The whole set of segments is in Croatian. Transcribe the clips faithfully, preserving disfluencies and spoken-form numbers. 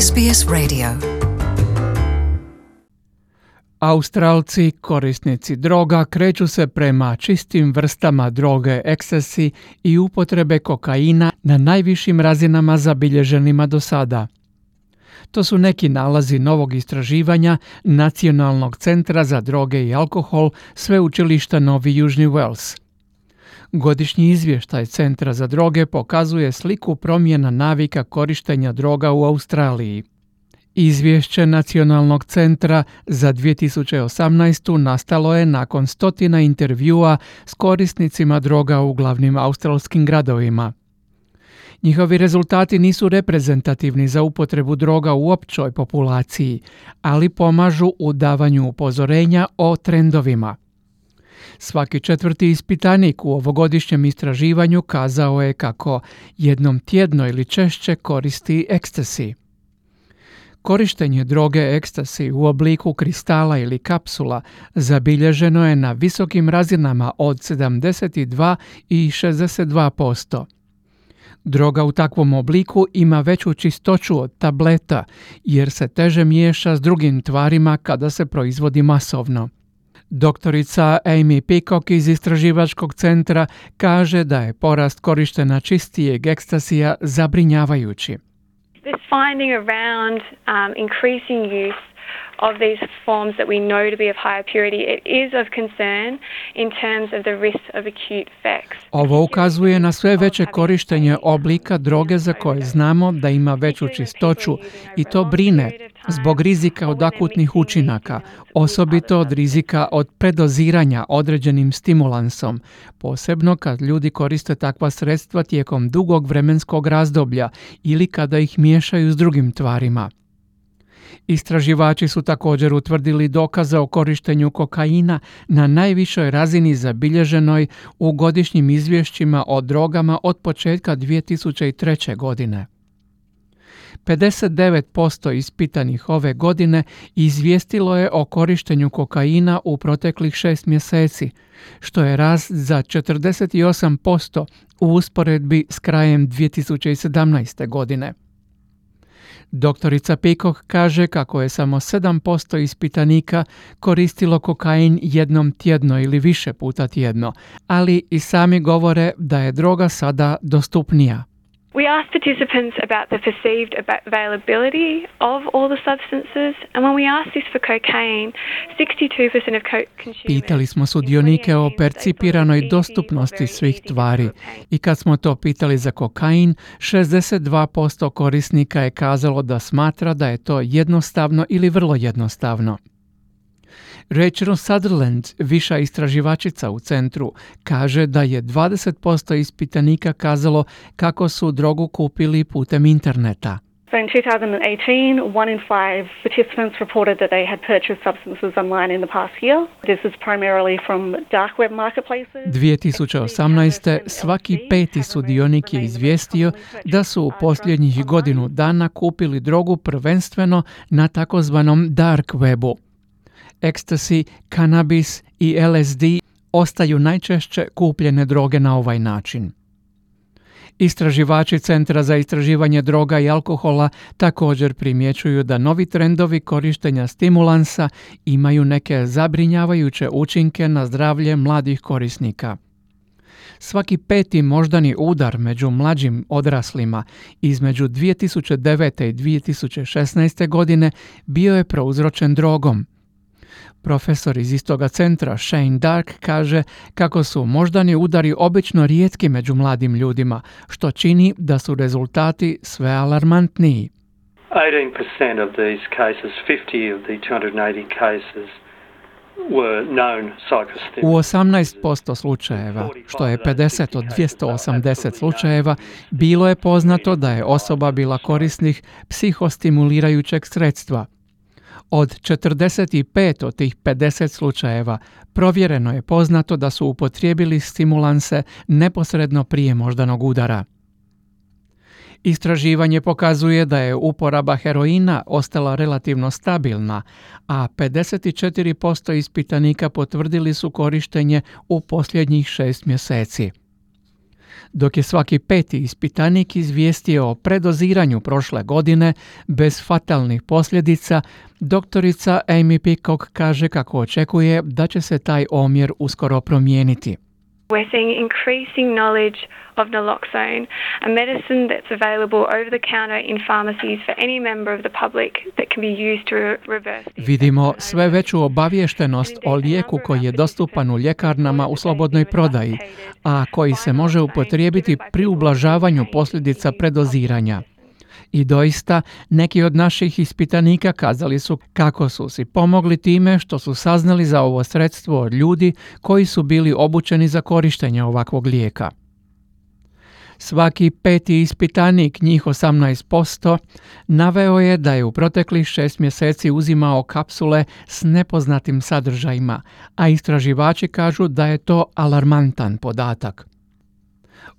S B S Radio. Australci, korisnici droga, kreću se prema čistim vrstama droge ecstasy i upotrebe kokaina na najvišim razinama zabilježenima do sada. To su neki nalazi novog istraživanja Nacionalnog centra za droge i alkohol Sveučilišta Novi Južni Wales. Godišnji izvještaj Centra za droge pokazuje sliku promjena navika korištenja droga u Australiji. Izvješće Nacionalnog centra za dvije tisuće osamnaestu nastalo je nakon stotina intervjua s korisnicima droga u glavnim australskim gradovima. Njihovi rezultati nisu reprezentativni za upotrebu droga u općoj populaciji, ali pomažu u davanju upozorenja o trendovima. Svaki četvrti ispitanik u ovogodišnjem istraživanju kazao je kako jednom tjedno ili češće koristi ecstasy. Korištenje droge ecstasy u obliku kristala ili kapsula zabilježeno je na visokim razinama od sedamdeset dva i šezdeset dva posto. Droga u takvom obliku ima veću čistoću od tableta jer se teže miješa s drugim tvarima kada se proizvodi masovno. Doktorica Amy Peacock iz istraživačkog centra kaže da je porast korištenja čistijeg ekstasija zabrinjavajući. This finding around um, increasing use of these forms that we know to be of higher purity, it is of concern in terms of the risk of acute effects. Ovo ukazuje na sve veće korištenje oblika droge za koje znamo da ima veću čistoću i to brine zbog rizika od akutnih učinaka, osobito od rizika od predoziranja određenim stimulansom, posebno kad ljudi koriste takva sredstva tijekom dugog vremenskog razdoblja ili kada ih miješaju s drugim tvarima. Istraživači su također utvrdili dokaze o korištenju kokaina na najvišoj razini zabilježenoj u godišnjim izvješćima o drogama od početka dvije tisuće treće. godine. pedeset devet posto ispitanih ove godine izvijestilo je o korištenju kokaina u proteklih šest mjeseci, što je rast za četrdeset osam posto u usporedbi s krajem dvije tisuće sedamnaeste. godine. Doktorica Peacock kaže kako je samo sedam posto ispitanika koristilo kokain jednom tjedno ili više puta tjedno, ali i sami govore da je droga sada dostupnija. We asked participants about the perceived availability of all the substances, and when we asked this for cocaine, sixty-two percent of co- consumers... Pitali smo sudionike o percipiranoj dostupnosti svih tvari i kad smo to pitali za kokain, šezdeset dva posto korisnika je kazalo da smatra da je to jednostavno ili vrlo jednostavno. Rachel Sutherland, viša istraživačica u centru, kaže da je dvadeset posto ispitanika kazalo kako su drogu kupili putem interneta. So in two thousand eighteen, one in five participants reported that they had purchased substances online in the past year. This is primarily from dark web marketplaces. dvije tisuće osamnaeste. svaki peti sudionik je izvijestio da su u posljednjih godinu dana kupili drogu prvenstveno na takozvanom dark webu. Ecstasy, kanabis i L S D ostaju najčešće kupljene droge na ovaj način. Istraživači Centra za istraživanje droga i alkohola također primjećuju da novi trendovi korištenja stimulansa imaju neke zabrinjavajuće učinke na zdravlje mladih korisnika. Svaki peti moždani udar među mlađim odraslima između dvije tisuće devete. i dvije tisuće šesnaeste. godine bio je prouzročen drogom. Profesor iz istoga centra Shane Dark kaže kako su moždani udari obično rijetki među mladim ljudima, što čini da su rezultati sve alarmantniji. eighteen percent of these cases, fifty of the two hundred eighty cases were known psychostimulants. U osamnaest posto slučajeva, što je pedeset od dvjesto osamdeset slučajeva, bilo je poznato da je osoba bila korisnik psihostimulirajućeg sredstva. Od četrdeset pet od tih pedeset slučajeva provjereno je poznato da su upotrijebili stimulanse neposredno prije moždanog udara. Istraživanje pokazuje da je uporaba heroina ostala relativno stabilna, a pedeset četiri posto ispitanika potvrdili su korištenje u posljednjih šest mjeseci. Dok je svaki peti ispitanik izvijestio o predoziranju prošle godine bez fatalnih posljedica, doktorica Amy Peacock kaže kako očekuje da će se taj omjer uskoro promijeniti. We're seeing increasing knowledge of naloxone, a medicine that's available over the counter in pharmacies for any member of the public that can be used to reverse. Vidimo sve veću obaviještenost o lijeku koji je dostupan u ljekarnama u slobodnoj prodaji, a koji se može upotrijebiti pri ublažavanju posljedica predoziranja. I doista, neki od naših ispitanika kazali su kako su si pomogli time što su saznali za ovo sredstvo od ljudi koji su bili obučeni za korištenje ovakvog lijeka. Svaki peti ispitanik, njih osamnaest posto, naveo je da je u proteklih šest mjeseci uzimao kapsule s nepoznatim sadržajima, a istraživači kažu da je to alarmantan podatak.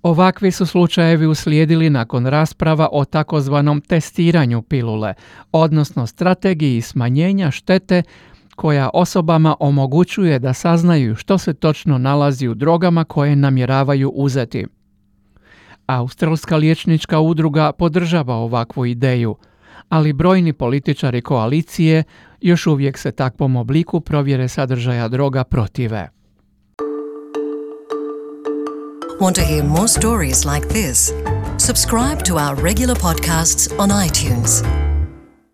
Ovakvi su slučajevi uslijedili nakon rasprava o takozvanom testiranju pilule, odnosno strategiji smanjenja štete koja osobama omogućuje da saznaju što se točno nalazi u drogama koje namjeravaju uzeti. Australska liječnička udruga podržava ovakvu ideju, ali brojni političari koalicije još uvijek se takvom obliku provjere sadržaja droga protive. Want to hear more stories like this? Subscribe to our regular podcasts on iTunes.